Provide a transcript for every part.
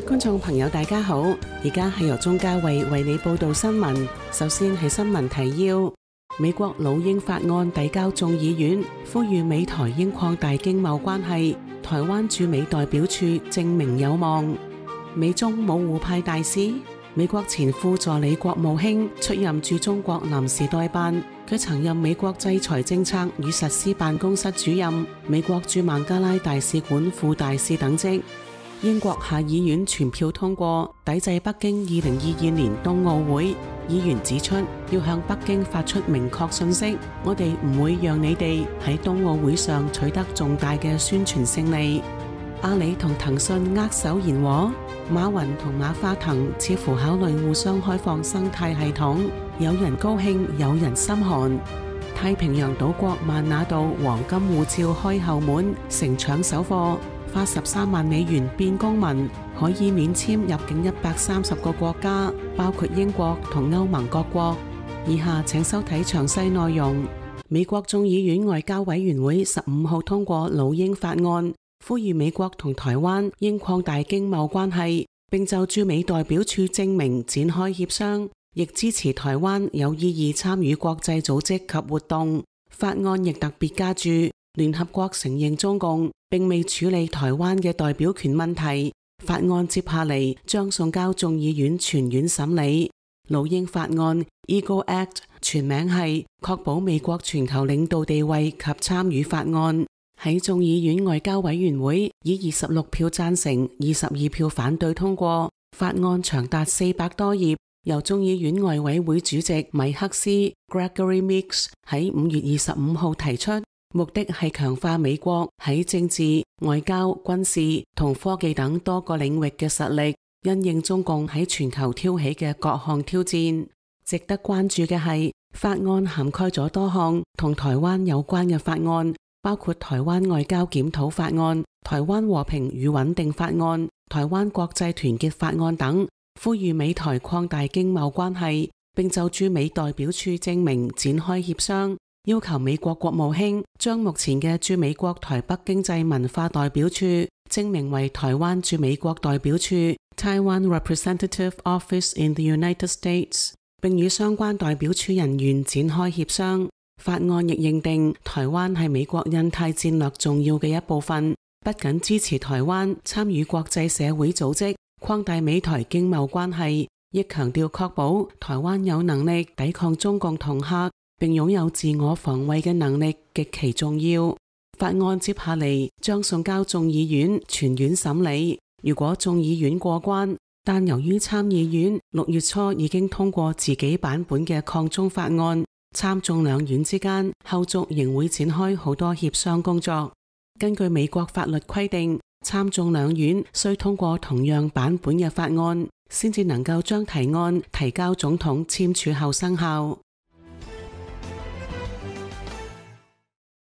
觀眾朋友大家好，而家係由鍾嘉慧為你報道新聞。首先係新聞提要：美國老鷹法案遞交眾議院，呼籲美台應擴大經貿關係。台灣駐美代表處證明有望。美中冇互派大使，美國前副助理國務卿出任駐中國臨時代辦，佢曾任美國制裁政策與實施辦公室主任、美國駐孟加拉大使館副大使等職。英國下議院全票通過抵制北京2022年冬奧會，議員指出要向北京發出明確信息，我哋唔會讓你哋喺冬奧會上取得重大嘅宣傳勝利。阿里同騰訊握手言和，馬雲同馬化騰似乎考慮互相開放生態系統，有人高興，有人心寒。太平洋島國萬那度黃金護照開後門，盛搶首貨，花13萬美元變公民，可以免簽入境130個國家，包括英國同歐盟各國。以下請收睇詳細內容。美國眾議院外交委員會15號通過老鷹法案，呼籲美國同台灣應擴大經貿關係，並就駐美代表處證明展開協商，亦支持台灣有意義參與國際組織及活動。法案亦特別加注，聯合國承認中共並未處理台灣嘅代表權問題。法案接下嚟將送交眾議院全院審理。老鷹法案 Eagle Act 全名係確保美國全球領導地位及參與法案，喺眾議院外交委員會以26票贊成、22票反對通過。法案長達400多頁，由眾議院外委會主席米克斯 Gregory Meeks 喺5月25號提出，目的係強化美國喺政治、外交、軍事同科技等多個領域嘅實力，因應中共喺全球挑起嘅各項挑戰。值得關注嘅係，法案涵蓋咗多項同台灣有關嘅法案，包括台灣外交檢討法案、台灣和平與穩定法案、台灣國際團結法案等，呼籲美台擴大經貿關係，並就駐美代表處證明展開協商，要求美國國務卿將目前嘅駐美國台北經濟文化代表處證明為台灣駐美國代表處 Taiwan Representative Office in the United States， 並與相關代表處人員展開協商。法案亦認定台灣係美國印太戰略重要嘅一部分，不僅支持台灣參與國際社會組織，擴大美台經貿關係，亦強調確保台灣有能力抵抗中共恫嚇，並擁有自我防衛嘅能力極其重要。法案接下嚟將送交眾議院全院審理，如果眾議院過關，但由於參議院6月初已經通過自己版本嘅抗中法案，參眾兩院之間後續仍會展開好多協商工作。根據美國法律規定，參眾兩院需通過同樣版本嘅法案，先至能夠將提案提交總統簽署後生效。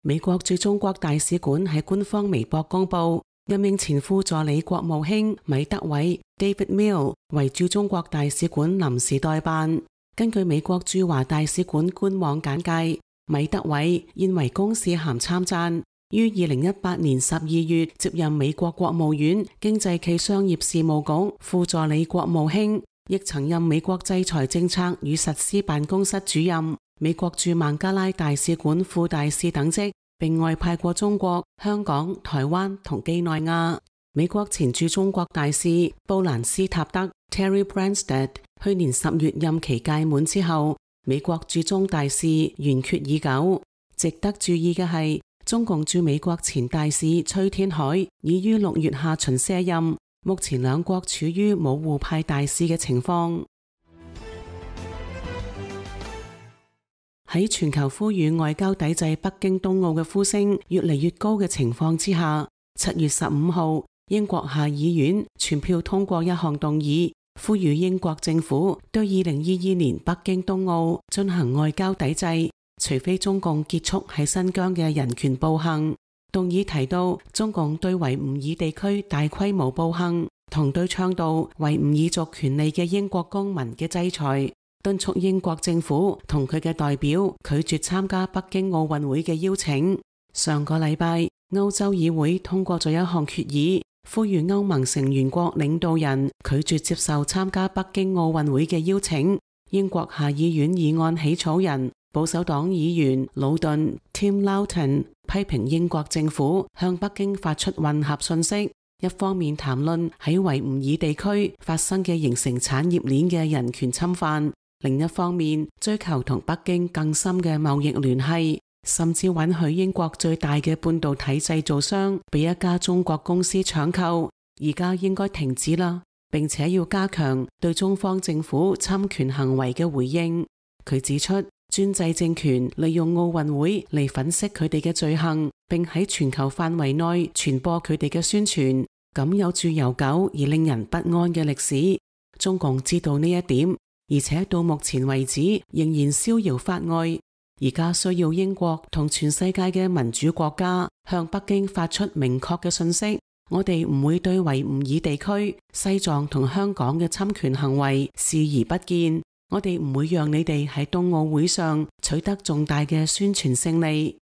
美國駐中國大使館喺官方微博公布，任命前副助理國務卿米德偉 David Mill 為駐中國大使館臨時代辦。根據美國駐華大使館官網簡介，米德偉現為公使銜參贊，於2018年12月接任美國國務院經濟暨商業事務局副助理國務卿，亦曾任美國制裁政策與實施辦公室主任、美國駐孟加拉大使館副大使等職，並外派過中國、香港、台灣同幾內亞。美國前駐中國大使布蘭斯塔德 Terry Branstad 去年10月任期屆滿之後，美國駐中大使懸缺已久。值得注意嘅係，中共駐美國前大使崔天凱已於6月下旬卸任，目前兩國處於冇互派大使嘅情況。喺全球呼籲外交抵制北京冬奧嘅呼聲越嚟越高嘅情況之下，7月15號，英國下議院全票通過一項動議，呼籲英國政府對2022年北京冬奧進行外交抵制，除非中共結束喺新疆嘅人權暴行。動議提到中共對維吾爾地區大規模暴行同對倡導維吾爾族權利嘅英國公民嘅制裁，敦促英國政府同佢嘅代表拒絕參加北京奧運會嘅邀請。上個禮拜，歐洲議會通過咗一項決議，呼籲歐盟成員國領導人拒絕接受參加北京奧運會嘅邀請。英國下議院議案起草人保守黨議員魯頓 Tim Loughton 批評英國政府向北京發出混合信息，一方面談論喺維吾爾地區發生嘅形成產業鏈嘅人權侵犯，另一方面追求同北京更深嘅貿易聯繫，甚至允許英國最大嘅半導體製造商被一家中國公司搶購。而家應該停止啦，並且要加強對中方政府侵權行為嘅回應。佢指出，專制政權利用奧運會嚟粉飾佢哋嘅罪行，並喺全球範圍內傳播佢哋嘅宣傳，咁有住悠久而令人不安嘅歷史。中共知道呢一點，而且到目前為止仍然逍遙法外。而家需要英國同全世界嘅民主國家向北京發出明確嘅信息，我哋唔會對維吾爾地區、西藏同香港嘅侵權行為視而不見。我哋唔會讓你哋喺冬奧會上取得重大嘅宣傳勝利。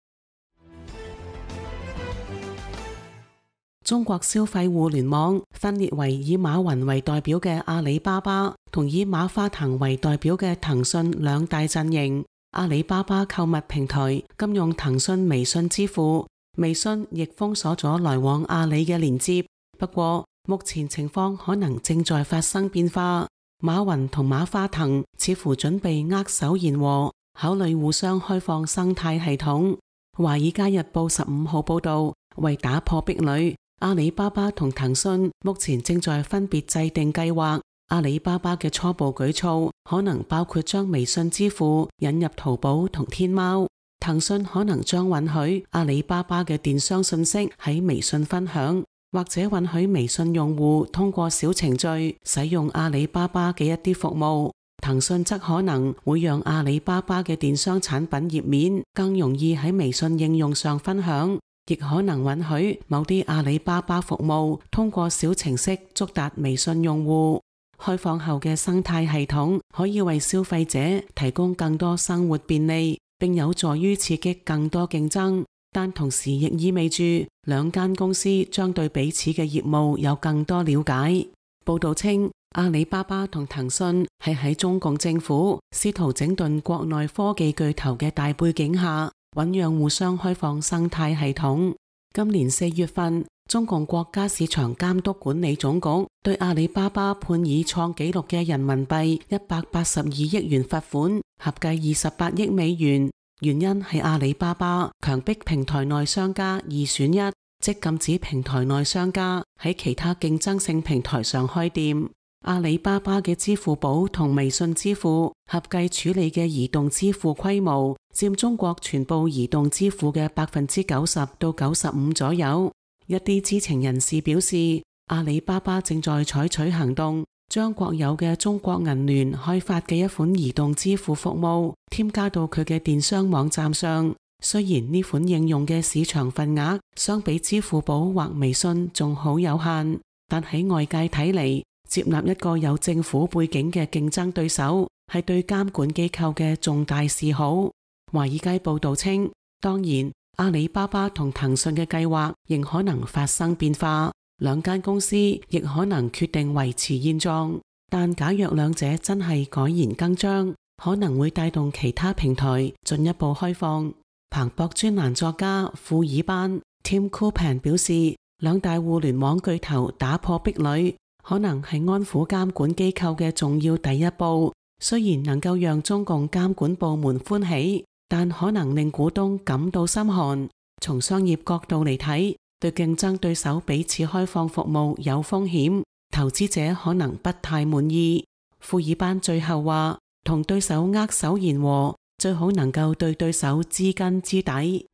中國消費互聯網分裂為以馬雲為代表嘅阿里巴巴同以馬化騰為代表嘅騰訊兩大陣營。阿里巴巴購物平台禁用騰訊微信支付，微信亦封鎖咗來往阿里嘅連接。不過，目前情況可能正在發生變化。馬雲同馬化騰似乎準備握手言和，考慮互相開放生態系統。華爾街日報15號報道，為打破壁壘，阿里巴巴同騰訊目前正在分別制定計劃。阿里巴巴嘅初步舉措可能包括將微信支付引入淘寶同天貓，騰訊可能將允許阿里巴巴嘅電商信息喺微信分享，或者允許微信用戶通過小程序使用阿里巴巴嘅一啲服務。騰訊則可能會讓阿里巴巴嘅電商產品頁面更容易喺微信應用上分享，亦可能允許某啲阿里巴巴服務通過小程式觸達微信用戶。開放後嘅生態系統可以為消費者提供更多生活便利，並有助於刺激更多競爭，但同時亦意味住兩間公司將對彼此嘅業務有更多了解。報道稱，阿里巴巴同騰訊係喺中共政府試圖整頓國內科技巨頭嘅大背景下，醞釀互相開放生態系統。今年4月份，中共國家市場監督管理總局對阿里巴巴判以創紀錄嘅人民幣182億元罰款，合計28億美元。原因係阿里巴巴強迫平台內商家二選一，即禁止平台內商家喺其他競爭性平台上開店。阿里巴巴嘅支付寶同微信支付合計處理嘅移動支付規模佔中國全部移動支付嘅90%到95%左右。一啲知情人士表示，阿里巴巴正在採取行動，將國有嘅中國銀聯開發嘅一款移動支付服務添加到佢嘅電商網站上。雖然呢款應用嘅市場份額相比支付寶或微信仲好有限，但喺外界睇嚟，接納一個有政府背景嘅競爭對手係對監管機構嘅重大示好。華爾街報道稱，當然，阿里巴巴同騰訊嘅計劃仍可能發生變化，兩間公司亦可能決定維持現狀。但假若兩者真係改弦更張，可能會帶動其他平台進一步開放。彭博專欄作家庫爾班 Tim Copan 表示，兩大互聯網巨頭打破壁壘，可能係安撫監管機構嘅重要第一步。雖然能夠讓中共監管部門歡喜，但可能令股東感到心寒。從商業角度嚟睇，對競爭對手彼此開放服務有風險，投資者可能不太滿意。庫爾班最後話，同對手握手言和，最好能夠對對手知根知底。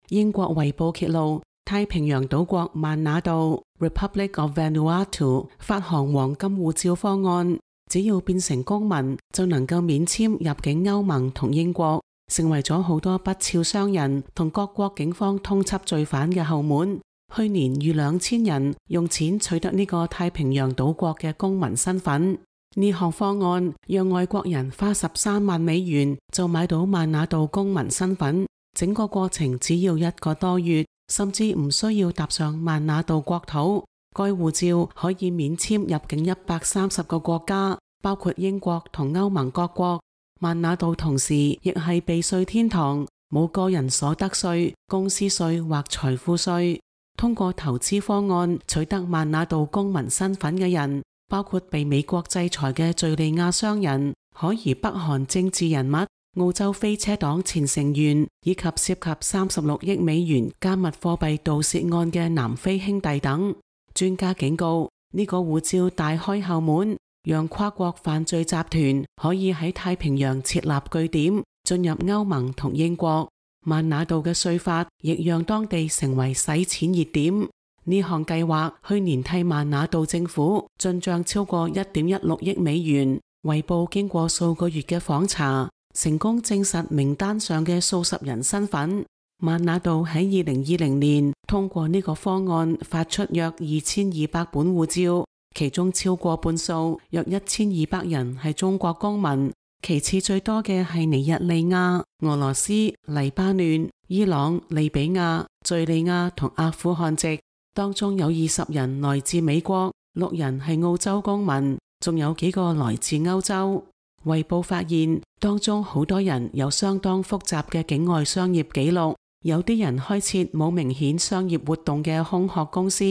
英國《衛報》揭露，太平洋島國萬那杜 Republic of Vanuatu 發行黃金護照方案，只要變成公民就能夠免簽入境歐盟同英國，成為咗好多不肖商人同各國警方通緝罪犯嘅後門。去年逾2000人用錢取得呢個太平洋島國嘅公民身份。呢項方案讓外國人花13萬美元就買到萬那杜公民身份，整個過程只要1個多月，甚至唔需要踏上曼那杜國土。該護照可以免簽入境130個國家，包括英國同歐盟各國。曼那杜同時亦係避稅天堂，冇個人所得稅、公司稅或財富稅。通過投資方案取得曼那杜公民身份嘅人，包括被美國制裁嘅敘利亞商人、可疑北韓政治人物、澳洲飛車黨前成員，以及涉及36億美元加密貨幣盜竊案嘅南非兄弟等。專家警告，呢個護照大開後門，讓跨國犯罪集團可以喺太平洋設立據點，進入歐盟同英國。曼那杜嘅稅法亦讓當地成為洗錢熱點。呢項計劃去年替曼那杜政府進賬超過1.16億美元。衛報經過數個月嘅訪查，成功證實名單上嘅數十人身份。曼那杜喺2020年通過呢個方案發出約2200本護照，其中超過半數約1200人係中國公民，其次最多嘅係尼日利亞、俄羅斯、黎巴嫩、伊朗、利比亞、敘利亞同阿富汗籍，當中有20人來自美國，6人係澳洲公民，仲有幾個來自歐洲。衛報發現，當中好多人有相當複雜嘅境外商業記錄，有啲人開設冇明顯商業活動嘅空殼公司。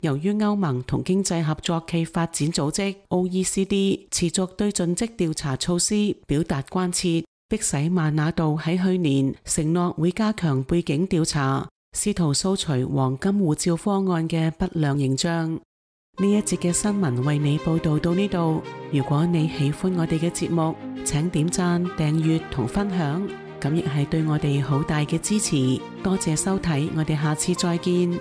由於歐盟同經濟合作暨發展組織 OECD 持續對盡職調查措施表達關切，迫使曼那杜喺去年承諾會加強背景調查，試圖掃除黃金護照方案嘅不良形象。呢一節嘅新聞為你報道到呢度。如果你喜歡我哋嘅節目，請點讚、訂閱同分享，咁亦係對我哋好大嘅支持。多謝收睇，我哋下次再見。